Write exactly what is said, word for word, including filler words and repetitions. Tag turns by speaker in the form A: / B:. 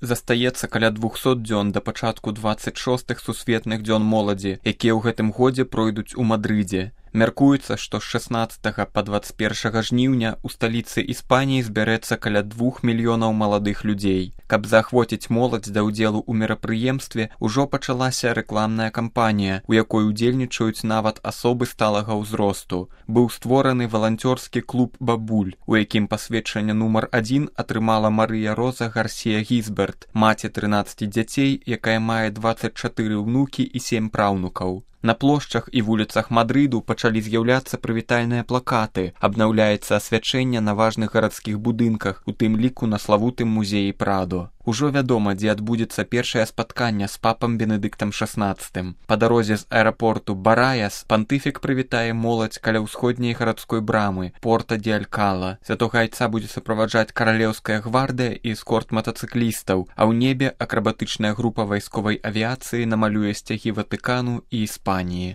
A: Застаецца каля двухсот дзён да пачатку дваццаць шостых сусветных дзён моладзі, якія ў гэтым годзе пройдуць у Мадрыдзе. Мяркуецца, што з шаснаццатага па дваццаць першага жніўня ў сталіцы Іспаніі збярэцца каля двух мільёнаў маладых людзей. Каб заахвоціць моладзь да ўдзелу ў мерапрыемстве, ужо пачалася рэкламная кампанія, у якой удзельнічаюць нават асобы сталага ўзросту. Быў створаны валанцёрскі клуб «Бабуль», у якім пасведчанне нумар адзін атрымала Марыя Роза Гарсія Гізберт, маці трынаццаці дзяцей, якая мае дваццаць чатыры ўнукі і сем праўнукаў. На плошчах і вуліцах Мадрыду пачалі з'яўляцца прывітальныя плакаты, абнаўляецца асвячэнне на важных гарадскіх будынках, у тым ліку на славутым музеі Прадо. Ужо вядома, дзе адбудзецца першае спатканне з папам Бенедыктам шаснаццатым. Па дарозе з аэрапорту Бараяс пантыфік прывітае моладзь каля ўсходняй гарадской брамы Порта ди Алькала. Святога айца будзе суправаджаць каралеўская гвардыя і эскорт матацыклістаў, а ў небе акрабатычная група вайсковай авіяцыі намалюе сцягі Ватыкану і Іспаніі.